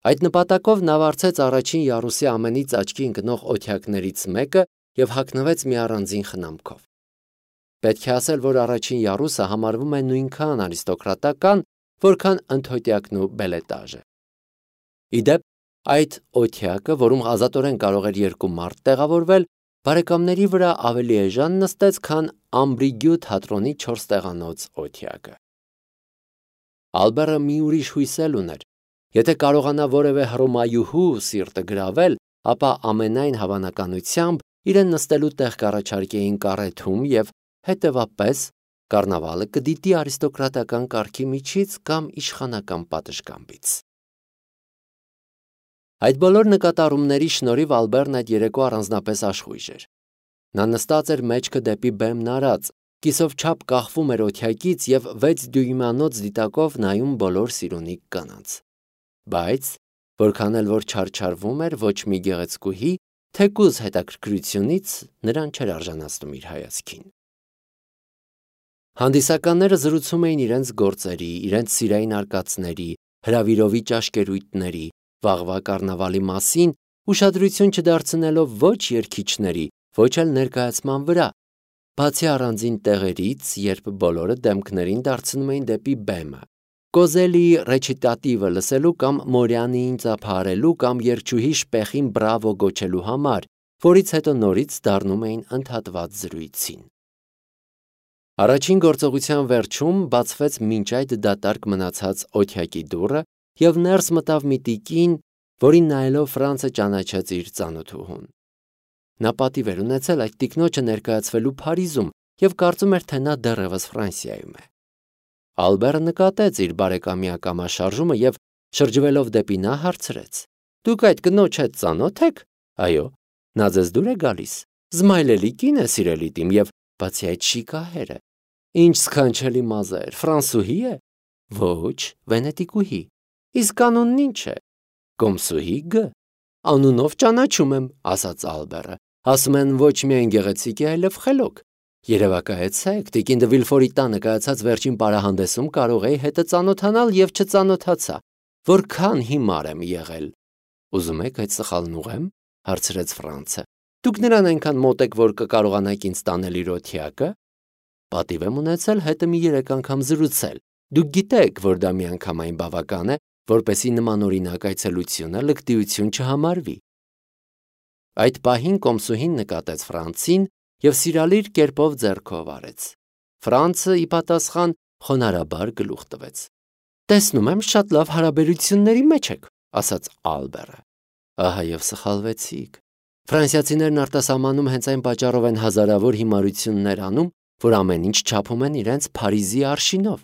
Այդ նպատակով նա վարձեց առաջին յարուսի ամենից աչքի ընկնող օթյակներից մեկը և հագնվեց մի առանձին խնամքով։ Պետք է ասել, որ առաջին յարուսը համարվում է նույնքան արիստոկրատական, որքան ընդհոտյակն ու բելետաժը։ Ի դեպ, այդ օթյակը, որում ազատորեն կարող էր երկու մարդ տեղավորվել, բարեկամների վրա ավելի էժան նստեց, քան Ամբրիգյու թատրոնի 4 տեղանոց օթյակը։ Ալբերը մի ուրիշ հույս էլ ուներ։ Եթե կարողանա որևէ հռոմայուհու սիրտը գրավել, ապա ամենայն հավանականությամբ իրեն նստելու տեղ կառաջարկեին կարեթում և հետևապես կառնավալը կդիտի արիստոկրատական կարգի միջից կամ իշխանական պատշգամբից։ Այդ բոլոր նկատառումների շնորհիվ Ալբերն այդ երեկո առանձնապես աշխույժ էր։ Նա նստած էր մեջքը դեպի բեմն արած, կիսով չափ կախվում էր օթյակից և 6 դյույմանոց դիտակով նայում բոլոր սիրունիկ կանանց։ Բայց, որքան էլ որ չարչարվում էր ոչ մի գեղեցկուհի, թեկուզ հետաքրքրությունից նրան չէր արժանացնում իր հայացքին։ Հանդիսականները զրուցում էին իրենց գործերի, իրենց սիրային արկածների, հրավիրովի ճաշկերույթների, վաղվա կառնավալի մասին, ուշադրություն չդարձնելով ոչ երգիչների, ոչ էլ ներկայացման վրա, բացի առանձին տեղերից, երբ բոլորը դեմքներին դարձնում էին դեպի բեմը, Կոզելիի ռեչիտատիվը լսելու կամ Մորյանիին ծափահարելու կամ երգչուհի Շպեխին բրավո գոչելու համար, որից հետո նորից դառնում էին ընդհատված զրույցին։ Առաջին գործողության վերջում բացվեց մինչ այդ դատարկ մնացած օթյակի դուռը և ներս մտավ մի տիկին, որին նայելով Ֆրանցը ճանաչեց իր ծանոթուհուն։ Նա պատիվ էր ունեցել այդ տիկնոջը ներկայացվելու Փարիզում և կարծում էր, թե նա դեռևս Ֆրանսիայում է։ Ալբերը նկատեց իր բարեկամի ակամաշարժումը և շրջվելով դեպի նա հարցրեց. «Դուք այդ կնոջ հետ ծանո՞թ եք»։ «Այո, նա ձեզ դուր է գալիս»։ «Զմայլելի կին է, սիրելի տիմ, և բացի այդ շիկահեր է»։ «Ինչ սքանչելի մազեր, ֆրանսուհի է»։ «Ոչ, վենետիկուհի»։ «Իսկ անունն ինչ է»։ «Կոմսուհի Գ»։ «Անունով ճանաչում եմ», ասաց Ալբերը։ «Ասում են ոչ միայն գեղեցիկ է, այլև խելոք։ Երևակայեցեք, տիկին դը Վիլֆորի տանը կայացած վերջին պարահանդեսում կարող էի հետը ծանոթանալ և չծանոթացա։ Որքան հիմար եմ եղել»։ «Ուզում եք այդ սխալն ուղղեմ», հարցրեց Ֆրանցը։ «Դուք նրան այնքան մոտ եք, որ կկարողանաք ինձ տանել իր օթյակը»։ «Պատիվ եմ ունեցել հետը մի 3 անգամ զրուցել։ Դուք գիտեք, որ դա միանգամայն բավական է, որպեսզի նմանօրինակ այցելությունը լկտիություն չհամարվի»։ Այդ պահին կոմսուհին նկատեց Ֆրանցին և սիրալիր կերպով ձեռքով արեց։ Ֆրանցը ի պատասխան խոնարհաբար գլուխ տվեց։ «Տեսնում եմ, շատ լավ հարաբերությունների մեջ եք», ասաց Ալբերը։ Ահա և սխալվեցիք։ Ֆրանսիացիներն արտասահմանում հենց այն պատճառով են հազարավոր հիմարություններ անում, որ ամեն ինչ չափում են իրենց Փարիզի արշինով։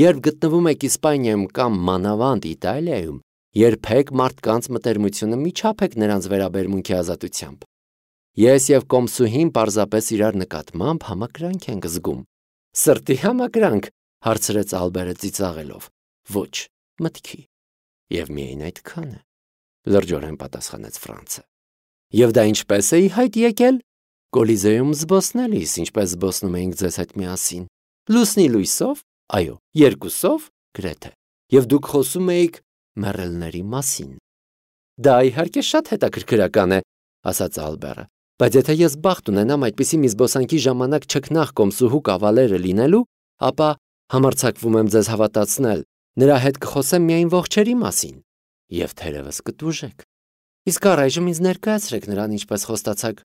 Երբ գտնվում եք Իսպանիայում կամ մանավանդ Իտալիայում, երբեք մարդկանց մտերմությունը մի չափեք նրանց վերաբերմունքի ազատությամբ։ Ես և կոմսուհին պարզապես իրար նկատմամբ համակրանք ենք զգում։ «Սրտի համակրանք», հարցրեց Ալբերը ծիծաղելով։ «Ոչ, մտքի»։ «Եվ միայն այդքանը», լրջորեն պատասխանեց Ֆրանցը։ «Եվ դա ինչպես է ի հայտ եկել»։ «Կոլիզեում զբոսնելիս, ինչպես զբոսնում էինք ձեզ հետ միասին»։ «Լուսնի լույսով»։ «Այո, երկուսով»։ «Գրեթե»։ «Եվ դուք խոսում էիք մեռելների մասին»։ «Դա իհարկե շատ հետաքրքրական է», ասաց Ալբերը։ «Բայց եթե ես բախտ ունենամ այդպիսի մի զբոսանքի ժամանակ չքնաղ կոմսուհու կավալերը լինելու, ապա համարձակվում եմ ձեզ հավատացնել, նրա հետ կխոսեմ միայն ողջերի մասին։ Եվ թերևս կտուժեք։ Իսկ առայժմ ինձ ներկայացրեք նրան, ինչպես խոստացաք,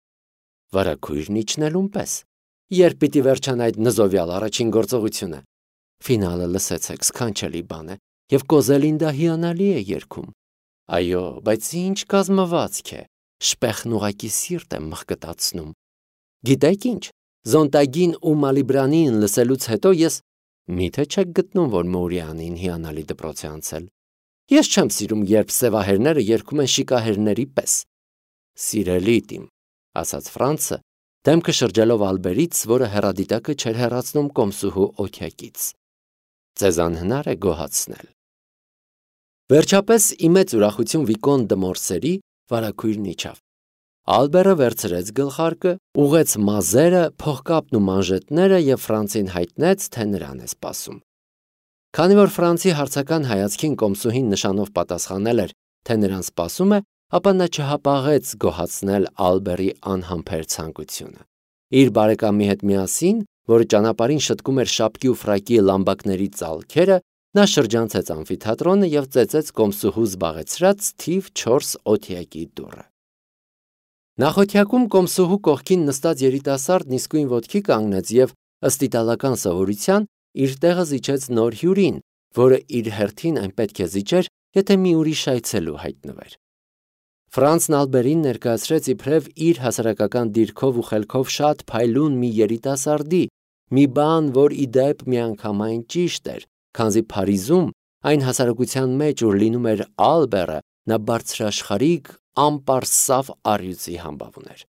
վարագույրն իջնելուն պես։ Երբ պիտի վերջանա այդ նզովյալ առաջին գործողությունը։ Ֆինալը լսեցեք, սքանչելի բան է, և Կոզելին դա հիանալի է երգում։ Այո, բայց ինչ կազմվածք է։ Շպեխն ուղղակի սիրտ է մղկտացնում։ Գիտեք ինչ, Զոնտագին ու Մալիբրանին լսելուց հետո ես միթե չեք գտնում, որ Մորյանին հիանալի դպրոց է անցել։ Ես չեմ սիրում, երբ սևահերները երգում են շիկահերների պես։ Սիրելի տիմ, ասաց Ֆրանցը, դեմքը շրջելով Ալբերից, որը հեռադիտակը չէր հեռացնում կոմսուհու օթյակից։ Ձեզ անհնար է գոհացնել։ Վերջապես ի մեծ ուրախություն Վիկոն դը Մորսերի վարագույրն իջավ։ Ալբերը վերցրեց գլխարկը, ուղղեց մազերը, փողկապն ու մանժետները և Ֆրանցին հայտնեց, թե նրան է սպասում։ Քանի որ Ֆրանցի հարցական հայացքին կոմսուհին նշանով պատասխանել էր, թե նրան սպասում է, ապա նա չհապաղեց գոհացնել Ալբերի անհամբեր ցանկությունը։ Իր բարեկամի հետ միասին, որը ճանապարհին շտկում էր շապկի ու ֆրակի լամբակների ծալքերը, նա շրջանցեց ամֆիթատրոնը եւ ծեծեց կոմսուհու զբաղեցրած թիվ 4 օթյակի դուռը։ Նախօթյակում կոմսուհու կողքին նստած երիտասարդն իսկույն ոտքի կանգնեց եւ ըստ իտալական սովորության իր տեղը զիջեց նոր հյուրին, որը իր հերթին այն պետք է զիջեր, եթե մի ուրիշ այցելու հայտնվեր։ Ֆրանցն Ալբերին ներկայացրեց իբրև իր հասարակական դիրքով ու խելքով շատ փայլուն մի երիտասարդի, մի բան, որ ի դեպ միանգամայն ճիշտ էր, քանզի Փարիզում, այն հասարակության մեջ, ուր լինում էր Ալբերը, նա բարձրաշխարհիկ, անպարսավ առյուծի համբավ ուներ։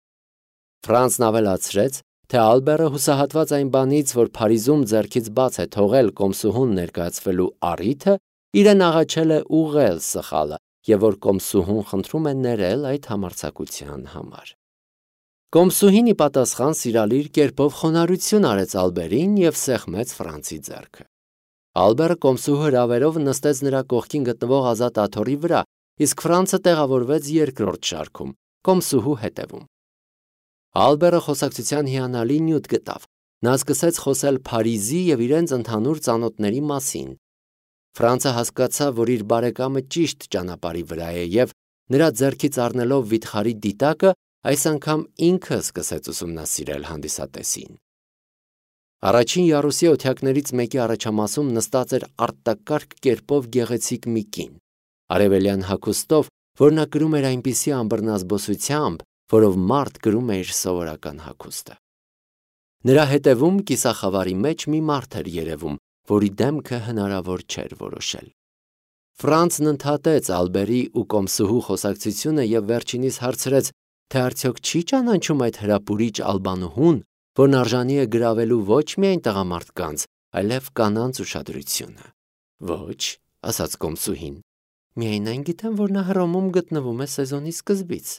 Ֆրանցն ավելացրեց, թե Ալբերը հուսահատված այն բանից, որ Փարիզում ձեռքից բաց է թողել կոմսուհուն ներկայացվելու առիթը, իրեն աղաչել է ուղղել սխալը, եւ որ կոմսուհուն խնդրում է ներել այդ համարձակության համար։ Կոմսուհին ի պատասխան սիրալիր կերպով խոնարհություն արեց Ալբերին եւ սեղմեց Ֆրանցի ձեռքը։ Ալբերը կոմսուհու հրավերով նստեց նրա կողքին գտնվող ազատ աթոռի վրա, իսկ Ֆրանցը տեղավորվեց երկրորդ շարքում, կոմսուհու հետևում։ Ալբերը խոսակցության հիանալի նյութ գտավ։ Նա սկսեց խոսել Փարիզի եւ իրենց ընդհանուր ծանոթների մասին։ Ֆրանցը հասկացավ, որ իր բարեկամը ճիշտ ճանապարհի վրա է եւ նրա ձեռքից առնելով վիթխարի դիտակը, այս անգամ ինքը սկսեց ուսումնասիրել հանդիսատեսին։ Առաջին յարուսի օթյակներից մեկի առաջամասում նստած էր արտակարգ կերպով գեղեցիկ մի կին, արևելյան հագուստով, որ նա կրում էր այնպիսի ամբռնազբոսությամբ, որով մարդ կրում է իր սովորական հագուստը։ Նրա հետևում կիսախավարի մեջ մի մարդ էր երևում, որի դեմքը հնարավոր չէր որոշել։ Ֆրանցն ընդհատեց Ալբերի ու կոմսուհու խոսակցությունը եւ վերջինիս հարցրեց, թե արդյոք չի ճանաչում այդ հրապուրիչ ալբանուհուն, որն արժանի է գրավելու ոչ միայն տղամարդկանց, այլև կանանց ուշադրությունը։ Ոչ, ասաց կոմսուհին, միայն այն գիտեմ, որ նա Հռոմում գտնվում է սեզոնի սկզբից։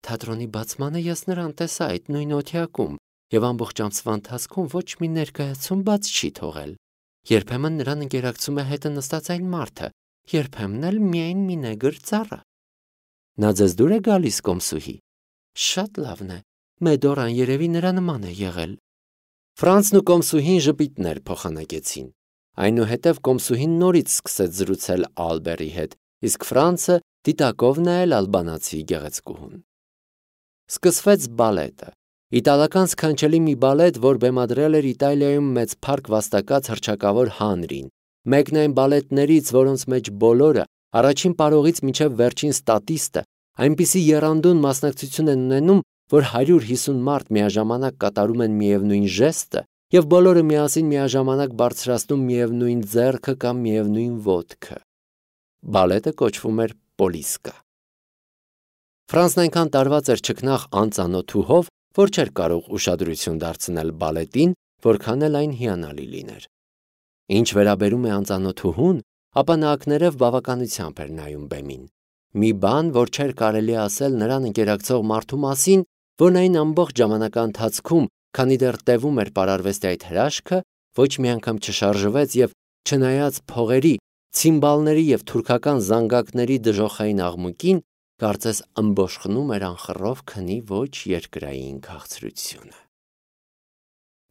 Թատրոնի բացմանը ես նրան տեսա այդ նույն օթյակում եւ ամբողջ ամսվա ընթացքում ոչ մի ներկայացում բաց չի թողել։ Երբեմն նրան ընկերակցում է հետը նստած այն մարդը, երբեմն էլ միայն մի նեգր ծառը։ Նա ձեզ դուր է գալիս, կոմսուհի։ Շատ լավն է, Մեդորան երևի նրա նման է եղել։ Ֆրանցն ու կոմսուհին ժպիտներ փոխանակեցին։ Այնուհետև կոմսուհին նորից սկսեց զրուցել Ալբերի հետ, իսկ Ֆրանցը դիտակով նայել ալբանացի գեղեցկուհուն։ Սկսվեց բալետը։ Իտալական սքանչելի մի բալետ, որ բեմադրել էր Իտալիայում մեծ փառք վաստակած հռչակավոր Հանրին, մեկն այն բալետներից, որոնց մեջ բոլորը, առաջին պարողից մինչև վերջին ստատիստը, այնպիսի եռանդուն մասնակցություն են ունենում, որ 150 մարդ միաժամանակ կատարում են միևնույն ժեստը եւ բոլորը միասին միաժամանակ բարձրացնում միևնույն ձեռքը կամ միևնույն ոտքը։ Բալետը կոչվում էր Պոլիսկա։ Ֆրանսն այնքան տարված էր ճկնաղ անծանոթուհով, որ չէր կարող ուշադրություն դարձնել բալետին, որքան էլ այն հիանալի լիներ։ Ինչ վերաբերում է անծանոթուհուն, ապա նա ակներև բավականությամբ էր նայում բեմին։ Մի բան, որ չէր կարելի ասել նրան ընկերակցող մարդու մասին, որն այն ամբողջ ժամանակա ընթացքում, քանի դեռ տևում էր պարարվեստի այդ հրաշքը, ոչ մի անգամ չշարժվեց եւ չնայած փողերի, ցիմբալների եւ թուրքական զանգակների դժոխային աղմուկին, կարծես ըմբոշխնում էր անխռով քնի ոչ երկրային քաղցրությունը։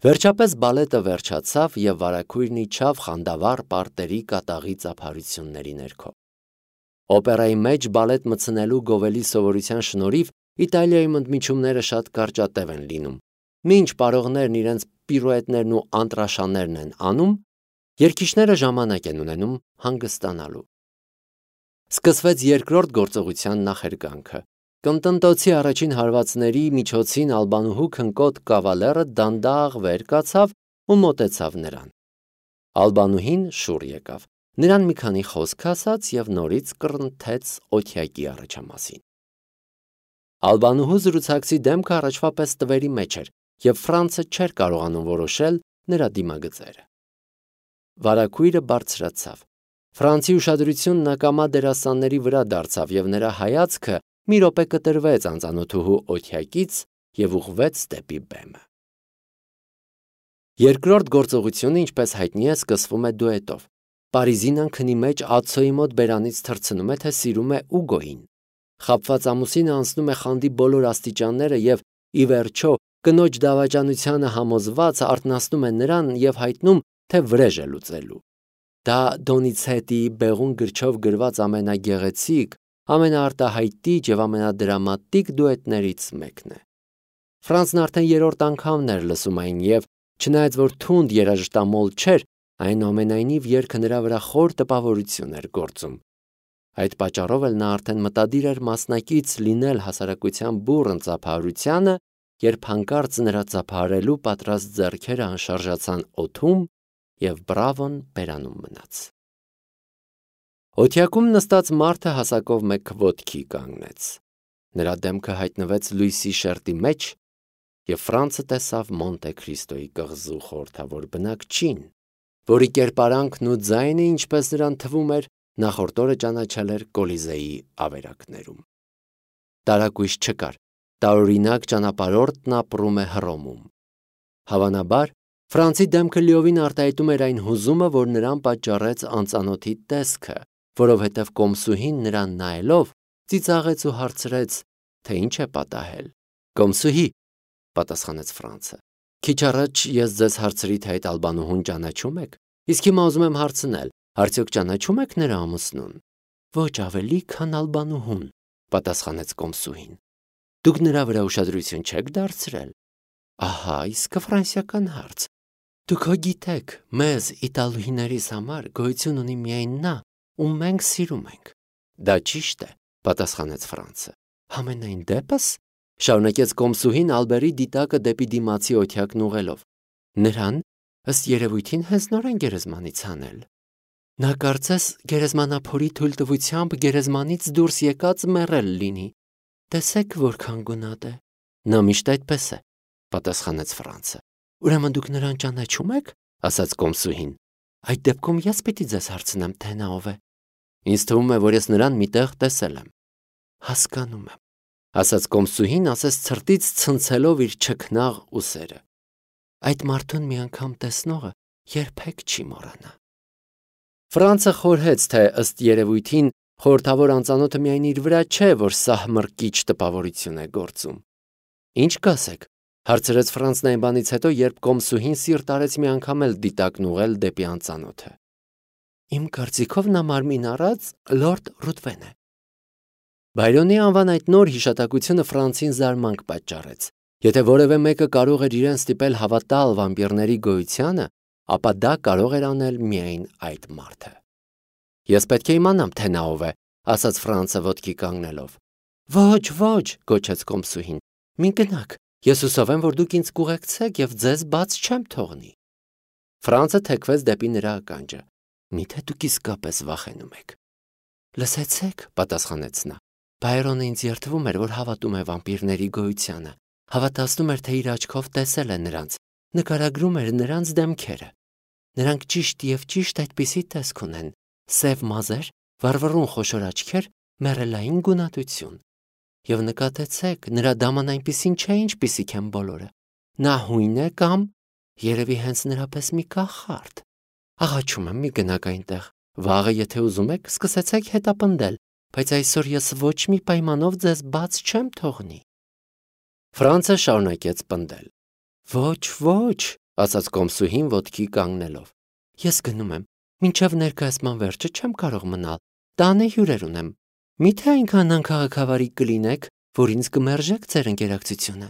Վերջապես բալետը վերջացավ եւ վարագույրն իջավ խանդավառ պարտերի կատաղի ծափարությունների ներքո։ Օպերայի մեջ բալետ մտցնելու գովելի սովորության շնորհիվ Իտալիայում ընդմիջումները շատ կարճատև են լինում։ Մինչ պարողներն իրենց պիրուետներն ու անտրաշաներն են անում, երգիչները ժամանակ են ունենում հանգստանալու։ Սկսվեց երկրորդ գործողության նախերգանքը։ Կնտնտոցի առաջին հարվածների միջոցին ալբանուհու քնկոտ կավալերը դանդաղ վեր կացավ ու մոտեցավ նրան։ Ալբանուհին շուռ եկավ, նրան մի քանի խոսք ասաց եւ նորից կռնթեց օթյակի առաջամասին։ Ալբանուհու զրուցակցի դեմքը առաջվա պես տվերի մեջ էր, եւ Ֆրանցը չէր կարողանում որոշել նրա դիմագծերը։ Վարագույրը բարձրացավ։ Ֆրանցի ուշադրությունն ակամա դերասանների վրա դարձավ եւ նրա հայացքը մի րոպե կտրվեց անծանոթուհու օթյակից եւ ուղղվեց դեպի բեմը։ Երկրորդ գործողությունը, ինչպես հայտնի է, սկսվում է դուետով։ Պարիզինան քնի մեջ ացոյի մոտ բերանից թռցնում է, թե սիրում է Ուգոյին։ Խաբված ամուսինը անցնում է խանդի բոլոր աստիճանները եւ ի վերջո կնոջ դավաճանությանը համոզված արթնացնում է նրան եւ հայտնում, թե վրեժ է լուծելու։ Դա Դոնիցետիի բեղուն գրչով գրված ամենագեղեցիկ, ամենաարտահայտիչ եւ ամենադրամատիկ դուետներից մեկն է։ Ֆրանսն արդեն երրորդ անգամն էր լսում այն եւ չնայած որ թունդ երաժշտամոլ չէր, այնուամենայնիվ երգը նրա վրա խոր տպավորություն էր գործում։ Այդ պատճառով էլ նա արդեն մտադիր էր մասնակից լինել հասարակության բուռն ծափահարությանը, երբ հանկարծ նրա ծափահարելու պատրաստ ձեռքերը անշարժացան օդում եւ բրավոն բերանում մնաց։ Օթյակում նստած մարդը հասակով մեկ ոտքի կանգնեց։ Նրա դեմքը հայտնվեց լույսի շերտի մեջ եւ Ֆրանսը տեսավ Մոնտե Քրիստոյի կղզու խորհրդավոր բնակչին, որի կերպարանքն ու ձայնը, ինչպես նրան թվում էր, նախորդ օրը ճանաչել էր Կոլիզեի ավերակներում։ Տարակույս չկար, տարօրինակ ճանապարհորդն ապրում է Հռոմում։ Հավանաբար, Ֆրանսի դեմքը լիովին արտահայտում էր այն հուզումը, որ նրան պատճառեց անծանոթի տեսքը, որովհետև կոմսուհին նրան նայելով ծիծաղեց ու հարցրեց, թե ինչ է պատահել։ Կոմսուհի, պատասխանեց Ֆրանսը, քիչ առաջ ես ձեզ հարցրի, թե այդ ալբանուհուն ճանաչում եք, իսկ հիմա ուզում եմ հարցնել, արդյոք ճանաչում եք նրա ամուսնուն։ Ոչ ավելի, քան ալբանուհուն, պատասխանեց կոմսուհին։ Դուք նրա վրա ուշադրություն չեք դարձրել։ Ահա, իսկ ֆրանսիական հարց։ Դուք հո գիտեք, մեզ իտալուհիներիս համար գոյություն ունի միայն նա, ում մենք սիրում ենք։ Դա ճիշտ է, պատասխանեց Ֆրանսը։ Համենայն դեպս, շարունակեց կոմսուհին Ալբերի դիտակը դեպի դիմացի օթյակն ուղղելով։ Նրան ըստ երևույթին հենց նոր են գերեզմանից հանել։ Նա կարծես գերեզմանափորի թույլտվությամբ գերեզմանից դուրս եկած մեռել լինի։ Տեսեք որքան գունատ է։ Նա միշտ այդպես է, պատասխանեց Ֆրանսը։ Ուրեմն դուք նրան ճանաչում եք, ասաց կոմսուհին։ Այդ դեպքում ես պիտի ձեզ հարցնեմ, թե նա ով է։ Ինձ թվում է, որ ես նրան միտեղ տեսել եմ։ Հասկանում եմ, ասաց կոմսուհին, ասես ցրտից ցնցելով իր չքնաղ ուսերը։ Այդ մարդուն մի անգամ տեսնողը երբեք չի մոռանա։ Ֆրանսը խորհեց, թե ըստ երևույթին խորհրդավոր անծանոթը միայն իր վրա չէ, որ սահմռկիչ տպավորություն է գործում։ Ինչ կասեք, հարցրեց Ֆրանսն այն բանից հետո, երբ կոմսուհին սիրտ արեց մի անգամ էլ դիտակն ուղղել դեպի անծանոթը։ Իմ կարծիքով նա մարմին առած լորդ Ռուդվեն է։ Բայրոնի անվան այդ նոր հիշատակությունը Ֆրանսին զարմանք պատճառեց։ Եթե որևէ մեկը կարող էր իրեն ստիպել հավատալ վամպիրների գոյությանը, ապա դա կարող էր անել միայն այդ մարդը։ Ես պետք է իմանամ, թե նա ով է, ասաց Ֆրանսը ոտքի կանգնելով։ Ոչ, ոչ, գոչեց կոմսուհին։ Մի գնաք, ես հուսով եմ, որ դուք ինձ կուղեկցեք եւ ձեզ բաց չեմ թողնի։ Ֆրանսը թեքվեց դեպի նրա ականջը։ Միթե դուք իսկապես վախենում եք։ Լսեցեք, պատասխանեց նա։ Բայրոնը ինձ երդվում էր, որ հավատում է վամպիրների գոյությանը։ Հավատացնում էր, թե իր աչքով տեսել է նրանց, նկարագրում էր նրանց դեմքերը։ Նրանք ճիշտ եւ ճիշտ այդպիսի տեսք ունեն. սև մազեր, վառվռուն խոշոր աչքեր, մեռելային գունատություն։ Եվ նկատեցեք, նրա դաման այնպիսին չէ, ինչպիսիք են բոլորը։ Նա հույն է կամ երևի հենց նրա պես մի կախարդ։ Աղաչում եմ, մի գնաք այնտեղ։ Վաղը, եթե ուզում եք, սկսեցեք հետապնդել, բայց այսօր ես ոչ մի պայմանով ձեզ բաց չեմ թողնի։ Ֆրանսը շարունակեց պնդել։ Ոչ, ոչ, ասաց կոմսուհին ոտքի կանգնելով։ Ես գնում եմ, մինչև ներկայացման վերջը չեմ կարող մնալ։ Տանը հյուրեր ունեմ։ Միթե այնքան անքաղաքավարի կլինեք, որ ինձ կմերժեք ձեր ընկերակցությունը։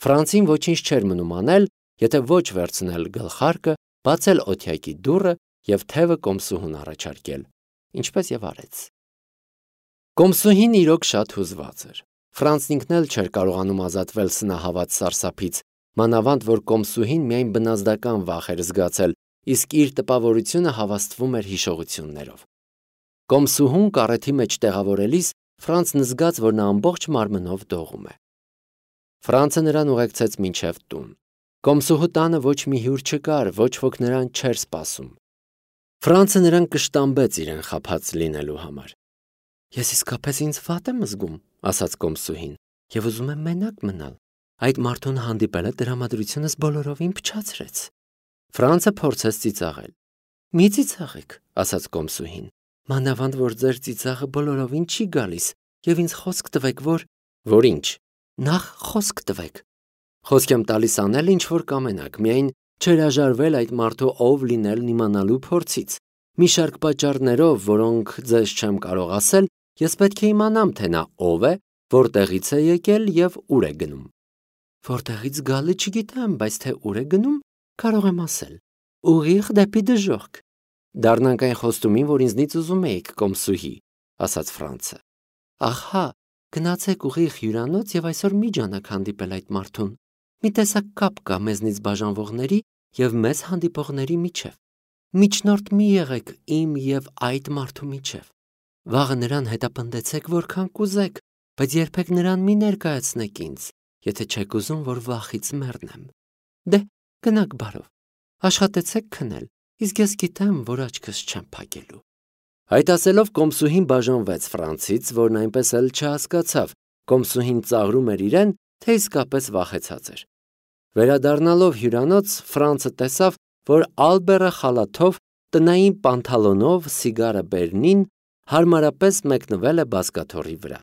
Ֆրանսին ոչինչ չէր մնում անել, եթե ոչ վերցնել գլխարկը, բացել օթյակի դուռը եւ թևը կոմսուհուն առաջարկել, ինչպես եւ արեց։ Կոմսուհին իրոք շատ հուզված էր։ Ֆրանսն ինքն էլ չէր կարողանում ազատվել սնահավատ սարսափից, մանավանդ որ կոմսուհին միայն բնազդական վախ էր զգացել, իսկ իր տպավորությունը հավաստվում էր հիշողություններով։ Կոմսուհուն կարեթի մեջ տեղավորելիս Ֆրանսն զգաց, որ նա ամբողջ մարմնով դողում է։ Ֆրանսը նրան ուղեկցեց մինչև տուն։ Կոմսուհու տանը ոչ մի հյուր չկար, ոչ ոք նրան չէր սպասում։ Ֆրանսը նրան կշտամբեց իրեն խաբած լինելու համար։ Ես իսկապես ինձ վատ եմ զգում, ասաց կոմսուհին, եւ ուզում եմ մենակ մնալ։ Այդ մարդուն հանդիպելը տրամադրությունս բոլորովին փչացրեց։ Ֆրանսը փորձեց ծիծաղել։ Մի ծիծաղեք, ասաց կոմսուհին, մանավանդ որ ձեր ծիծաղը բոլորովին չի գալիս, եւ ինձ խոսք տվեք, որ ինչ, նախ խոսք տվեք։ Խոսք եմ տալիս անել ինչ որ կամենաք, միայն չհրաժարվել այդ մարդու ով լինելն իմանալու փորձից։ Մի շարք պատճառներով, որոնք ձեզ չեմ կարող ասել, ես պետք է իմանամ, թե նա ով է, որտեղից է եկել եւ ուր է գնում։ Որտեղից գալը չգիտեմ, բայց թե ուր է գնում, կարող եմ ասել։ Ուղիղ դեպի դժոխք։ Դառնանք այն խոստումին, որ ինձնից ուզում էիք, կոմսուհի, ասաց Ֆրանցը։ Ահա, գնացեք ուղիղ հյուրանոց եւ այսօր մի ջանաք հանդիպել այդ մարդուն։ Մի տեսակ կապ կա մեզնից բաժանվողների եւ մեզ հանդիպողների միջև։ Միջնորդ մի եղեք իմ եւ այդ մարդու միջև։ Վաղը նրան հետապնդեցեք որքան կուզեք, բայց երբեք նրան մի ներկայացնեք ինձ, եթե չեք ուզում, որ վախից մեռնեմ։ Դե, գնաք բարով։ Աշխատեցեք քնել, իսկ ես գիտեմ, որ աչքս չեմ փակելու։ Այդ ասելով կոմսուհին բաժանվեց Ֆրանցից, որն այնպես էլ չհասկացավ, կոմսուհին ծաղրում էր իրեն, թե իսկապես վախեցած էր։ Վերադառնալով հյուրանոց, Ֆրանցը տեսավ, որ Ալբերը խալաթով, տնային պանթալոնով, սիգարը բերնին հարմարապես մեկնվել է բազկաթոռի վրա։